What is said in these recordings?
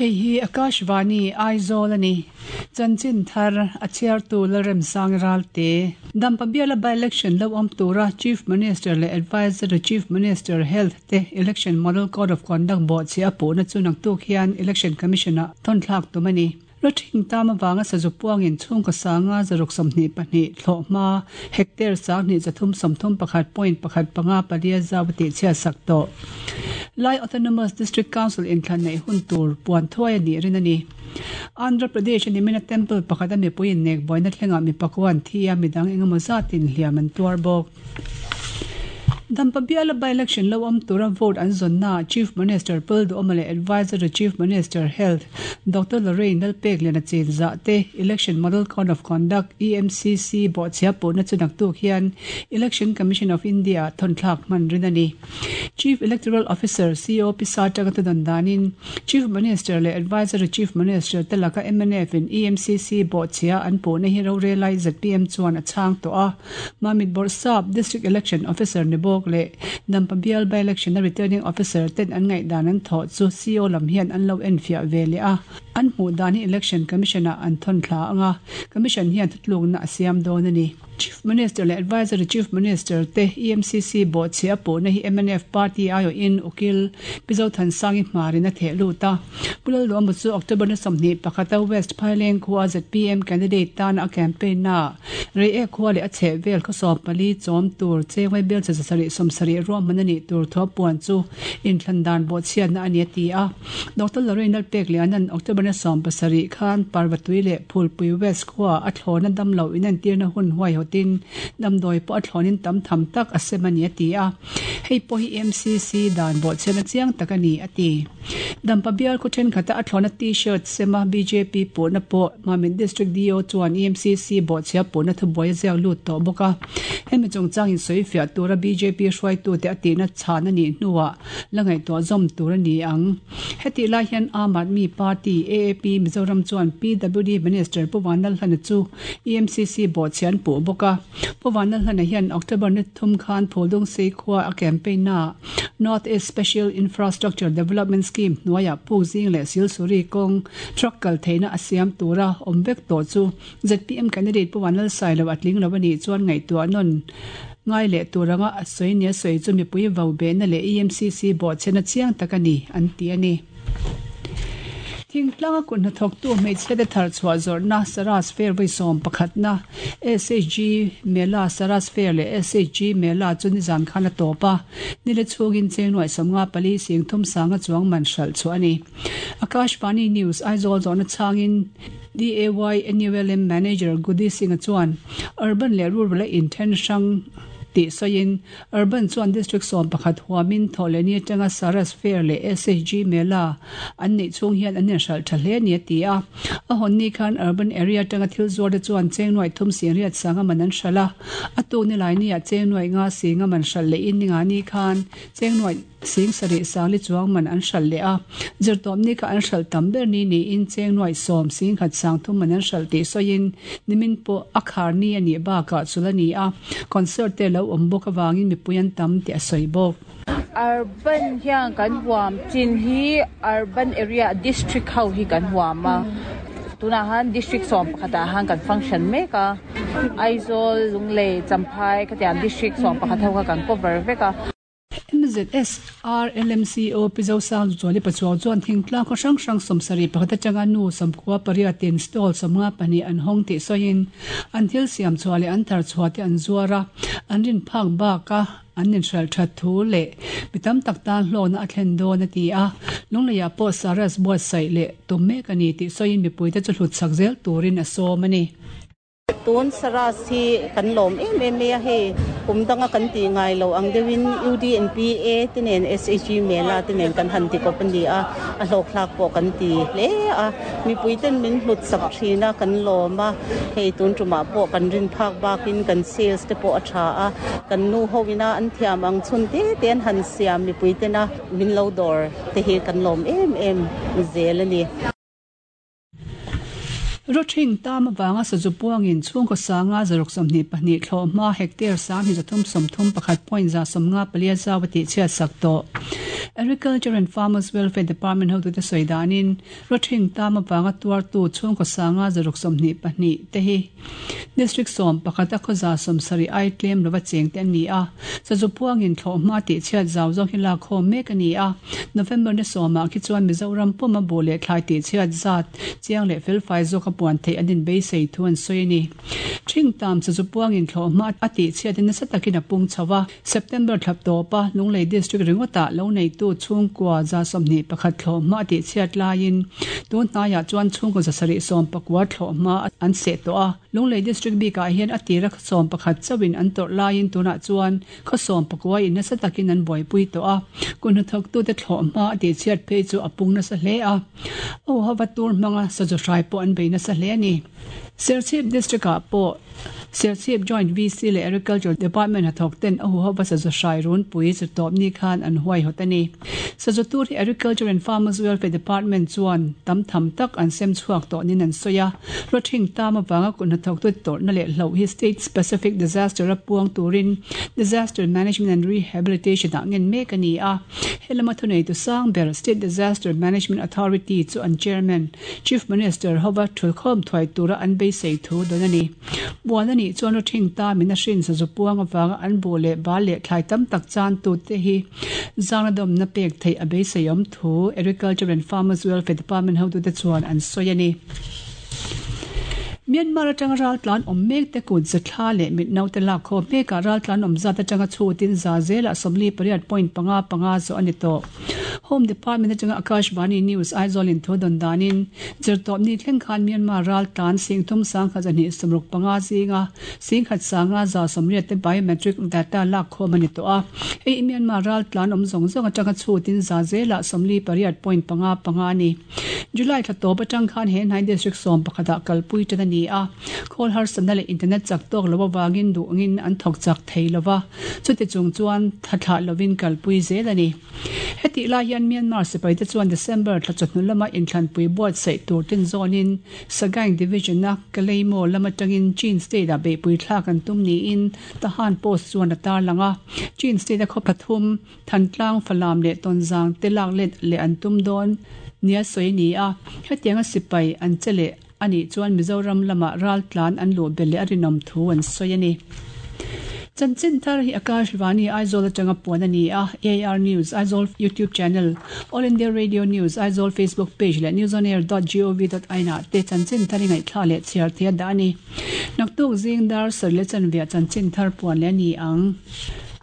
Hei hi Akashvani, Aizawl a ni. Chanchin thar a chhiartu Lalremsang Ralte. Dampa biala by-election lo awm tura Chief Minister leh Adviser to Chief Minister, Health, te Election Model Code of Conduct bawhchhiah a puhna chu naktuk hian Election Commission-ah thawnthlak tum a ni. Rawthing tam avanga sazu puangin chhungkaw sanga 122 thlawh hma hectare 2331 point pakhat panga palia zau a tihchhiat sak tawh. Lai Autonomous District Council inthlan neih hun tur puan thuai a nih rin a ni. Andhra Pradesh a nimina temple pakhata mipui innek buaina thlengah mi pakua an thi a, midang engemaw zatin hliam an tuar bawk. Dampa biala by-election lo awm tura vote an zawnnaah Chief Minister Pul Duhoma leh Adviser to Chief Minister, Health, Doctor Lorraine Lalpekliana chinzah te Election Model Code of Conduct, EMCC, bawhchhia puhna chu naktuk hian Election Commission of India-ah thawnthlak hman rin a ni. Chief Electoral Officer, CO, Pisa atanga thudawn danin Chief Minister leh Adviser to Chief Minister te laka MNF-in EMCC bawhchhia an puhna hi rorelai zpm chuan a chhang tawh a. Mamit Bawrhsap, District Election Officer ni bawk leh Dampa bial by-election a Returning Officer ten an ngaihdan an thawh chu CO lam hian an lo enfiah ve leh a, an hmuh dan hi Election Commission ah an thawn thla ang a, Commission hian thutlukna a siam dawn a ni. Chief Minister leh Adviser to Chief Minister te EMCC bawhchhiah a puhna hi mnf party aiawhin Ukil Pi Zothansangi hmarin a theh lut a. Pu Lalduhawma chu October ni 21 a West Phaileng khua zpm candidate tana a campaign naah Reiek khua leh a chheh vel khaw 14 chawm tur chengvai bel che 770 ruahman a nih tur thu a puan chu inthlan dan bawhchhiatna a ni a ti a. Doctor Lorraine Lalpekliana'n October ni 17 khan Parvatui leh Phulpui West khua a thlawna damlo inentirna hun huaihawtin damdawi pawh a thlawnin tam tham tak a sem a ni a ti a. Hei pawh hi MCC dan bawhchhiatna chiang tak a ni a ti. Dampa bial khaw thenkhat a a thlawna T-shirt sema bjp puhna pawh Mamit District DO chuan EMCC bawhchhia puhna thubuai a ziak lut tawh bawk a. Hemi chungchang insawi fiah tura bjp hruaitute a tihna chhan a nih hnuah la ngaihtuah zawm tur a ni ang. Hetih lai hian Aam Aadmi Party, AAP, Mizoram chuan PWD Minister Pu Vanlalhlana chu EMCC bawhchhia an puh bawk a. Pu Vanlalhlana hian October ni thum khan Phuldungsei khua a campaign naah North East Special Infrastructure Development Scheme hnuaiah puk zing leh Silsuri kawng truck kal theihna a siam tura awm vek tawh chu zpm candidate Pu Vanlalsailo a tling lo a nih chuan ngaihtuah nawn ngai leh tur anga a sawi nia sawi chu mipui vo behna leh EMCC bawhchhena chiang tak a ni an ti a ni. Thingtlanga kut hnathawktu hmeichhiate thar chhuah zawrhna Saras Fair vawi sawm pakhatna SHG Mela Saras Fair leh SHG Mela chu nizan khan a tawp a, nile chhungin cheng nuaih 54 sing thum sanga chuang man hralh chhuah a ni. Akashvani News, Aizawl zawhna chhangin DAY NULM Manager Gudi Singh-a chuan Urban leh Rural a inthen hrang tih sawiin Urban chuan District 11 huamin Thawhlehni atanga Saras Fair leh SHG Mela an neih chhung hian an inhralh tha hle a ni a ti a. A hawn ni khan Urban Area atanga thil zuar te chuan cheng nuaih thum sing riat sanga man an hralh a, a tuk ni lai nia cheng nuaih nga singa man hralh lehin ni nga ni khan cheng nuaih sing sarih sangli chuang man an hralh leh a. Zirtawpni kha an hralh tam ber ni niin cheng nuaih sawm sing khat sang thum man an hralh tih sawiin nimin pawh a khar ni a nih bakah chul a ni a. Concert te lo awm bawk avangin mipui an tam tih a sawi bawk. Urban hian kan huam chin hi urban area district ho hi kan huam a, tunah han district 11 ah han kan function mek a, Aizawl, Lunglei, Champhai khatiang district 11 ho kha kan cover vek a. MZSR LMCO Pi Zosang Zuali Pachuau chuan thingtlang khaw hrang hrang 71 atanga nu 98 in stall 52 an hawng tih sawiin an thil siam chhuah leh an thar chhuah te an zuar a, an rin phak baka an inhralh that thu leh mi tam tak tan hlawkna a thlen dawn a ti a. Lungleiah pawh Saras buatsaih leh tum mek a ni tih sawiin mipuite chu hlut chak zel turin a sawm a ni. Tun Saras hi kan lawm em em mai a, hei kum danga kan tih ngai lo ang deuhin UDNPA te nen SHG Mela te nen kan han ti kawp a ni a, a hlawkthlak pawh kan ti hle a, mipui ten min hlut sak thin a, kan lawm a, hei tun tumah pawh kan rin phak bakin kan sales te pawh a tha a, kan nu ho ina an thiam ang chhun te te an han siam mipui tena min lo dawr te hi kan lawm em em zel a ni. Rawthing tam avanga sazu puangin chhungkaw sanga 622 thlawh hma hectare 2331 point 154 zau a tihchhiat sak tawh. Agriculture and Farmers Welfare Department hotute sawi danin rawthing tam avanga tuartu chhungkaw sanga 122 te hi District 11 a khawza 70 ai tlem lova cheng te an ni a. Sazu puangin thlawhhma tih chhiat zau zawng hi lakkhawm mek a ni a. November ni sawmah khi chuan Mizoram puma buh leh thlai tih chhiat zat chiang leh felfai zawka puan theih an inbeisei thu an sawi a ni. Thing tam sazu puangin thlawhhma a tih chhiatin nasa takin a pung chho a. September thla tawpa Lunglei District ringawtah lo neitu chhungkua 21 thlawhhma a tih chhiat laiin tun hnaiah chuan chhungkaw 719 thlawhhma an seh tawh a. Lunglei District bikah hian a tira 11 chauhin an tawrh laiin tunah chuan khaw 19 in nasa takin an buaipui tawh a. Kut hnathawktute thlawhhma a tih chhiat phei chu a pung nasa hle a. Auhava tur hmanga sazu hrai pawh an bei nasa hle a ni. Serchhip District-ah pawh Serchhip Joint VC leh Agriculture Department hnathawk ten a huhova sazu hrai runpui chu tawp ni khan an huaihawt a ni. Sazu tur hi Agriculture and Farmers Welfare Department chuan tam tham tak an sem chhuak tawh niin an sawi a. Rawthing tam avanga kut hnathawktu tawrhna leh hloh hi State Specific Disaster a puang turin Disaster Management and Rehabilitation ah ngen mek a ni a. He lama thuneitu sang ber State Disaster Management Authority chu an Chairman, Chief Minister hova thulkhawm thuai tura an beisei thu dawn a ni. Buan a nih chuan rawthing ta min a hrin sazu puang avanga an buh leh bal leh thlai tam tak chan tute hi zangna dawmna pek theih a beisei awm thu Agriculture and Farmers Welfare Department hotute chuan an sawi a ni. Myanmar atanga raltlan awm mek te kut zathla leh mitnaute lakkhawm mekah raltlan awm zat atanga chhutin za zelah 48.55 zawh a ni tawh. Home Department atanga Akashvani News Aizawl in thu dawn danin zirtawpni thleng khan Myanmar raltlan 30 1,265 zinga 1,500 180 te biometric data lakkhawm a ni tawh a. Hei hi Myanmar raltlan awm zawng zawng atanga chhutin za zelah 48.55 a ni. July thla tawp atang khan he hnai District 11 ah kalpui tan a ni a. Khawl harsatna leh internet chak tawk lo avangin duhngin an thawk chak thei lova, chuti chung chuan tha thlah lovin kalpui zel a ni. Hetih lai hian Myanmar sipaite chuan December thla chawhnu lama inthlanpui buatsaih tur tin zawnin Sagaing Division-a Kalaymyo lam atangin Chin State-ah beihpui thlak an tum niin Tahan Post chuan a tarlang a. Chin State-a khaw pathum, Thantlang, Falam leh Tonzang te lak let leh an tum dawn nia sawi a ni a. Hetianga sipai an che leh a nih chuan Mizoram lamah raltlan an luh belh leh a rinawm thu an sawi a ni. Chanchin thar hi Akash Vani Aizawl atanga puan a ni a, AIR News Aizawl YouTube channel, All India Radio News Aizawl Facebook page leh newsonair dot gov dot in ah te chanchin thar i ngaihthla leh chhiar thei a dah a ni. Naktuk zing dar sarih leh chanveah chanchin thar puan leh a ni ang.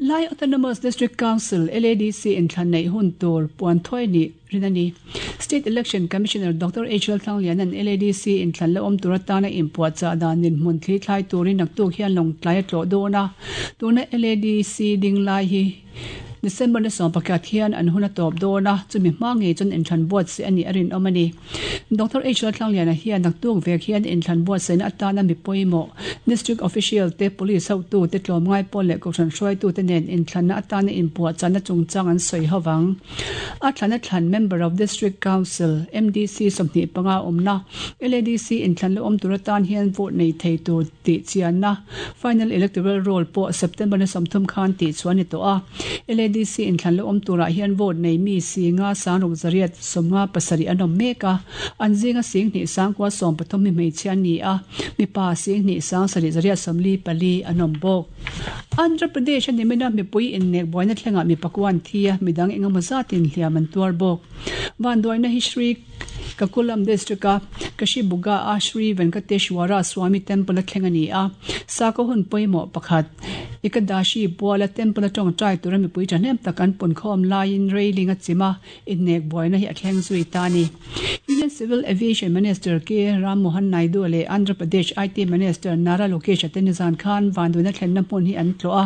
Lai Autonomous District Council, LADC, inthlan neih hun tur puan thuai nih rin a ni. State Election Commissioner Doctor HL Thangliana'n LADC inthlan la awm tur atana inpuahchah dan dinhmun thli thlai turin naktuk hian lawngtlai a tlawh dawn a. Tuna LADC ding lai hi December ni 11 hian an hun a tawp dawn a, chumi hma ngei chuan inthlan buatsaih a nih a rinawm a ni. Doctor HL Thangliana hian naktuk vek hian inthlan buatsaihna atana mi pawimawh District Official te, Police hotu te, tlawmngai pawl leh kohhran hruaitute nen inthlanna atana inpuahchahna chungchang an sawi ho vang. A thlan a thlan Member of District Council, MDC, 25 awmna, LADC inthlan la awm tur atan hian vote nei thei tur tih chianna Final Electoral Roll pawh September ni 30 khan tih chhuah a ni tawh a. LADC inthlan la awm turah hian vote nei mi singa sangruk zariat 57 an awm mek a, an zinga 10 sangkua 13 mi hmeichhia an ni a, mipa 10 sang sarih zariat 44 an awm bawk. Andhra Pradesh a nimina mipui innek buaina thlengah mi pakua an thi a, midang engemaw zatin hliam an tuar bawk. Vanduaina hi Sri Kakulam District-a Kashibuga-a Sri Venkateshwara Swamy Temple-a thleng a ni a, sakhaw hun pawimawh pakhat Ekadashi buala temple-a tawngtai tura mipui thahnem tak an punkhawm laiin railing a chim a, Innek buaina hi a thleng zui ta a ni. Union Civil Aviation Minister K. Ram Mohan Naidu leh Andhra Pradesh IT Minister Nara Lokesh-a te nizan khan vanduaina thlenna hmun hi an tlawh a.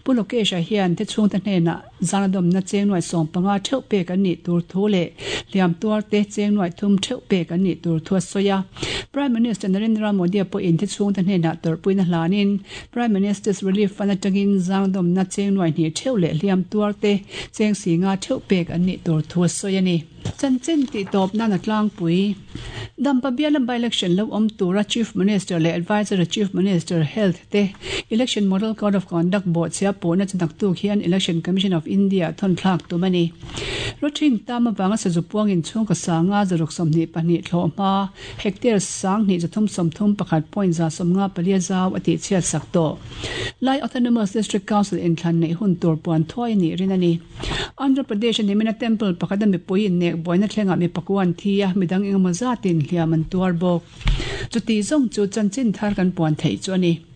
Pu Lokesh-a hian te chhungte hnenah zanadawmna cheng nuai 15 theuh pek an nih tur thu leh hliam tuarte cheng nuai thum theuh pek an nih tur thu a sawi a. Prime Minister Narendra Modi-a pawhin te chhungte hnenah tawrhpuina hlanin Prime Minister's Relief Fund atangin zangdawmna cheng nuai hnih theuh leh hliam tuarte cheng si nga theuh pek an nih tur thu a sawi a ni. Chanchin tih tawp nan a tlangpui. Dampa biala by-election lo awm tura Chief Minister leh Adviser to Chief Minister, Health, te Election Model Code of Conduct bawhchhia pawhna chu naktuk hian Election Commission of India thawn thlak tum a ni. Rawthing tam avanga sazu puangin chhungkaw sanga zaruk 22 thlawh hma hectare 2331.154 zau a tihchhiat sak tawh. Lai Autonomous District Council inthlan neih hun tur puan thuai a nih rin a ni. Andhra Pradesh a nimina temple pakhata mipui innek buaina thlengah mi pakua an thi a, midang engemaw zatin hliam an tuar bawk. Chuti zawng chu chanchin thar kan puan theih chu a ni.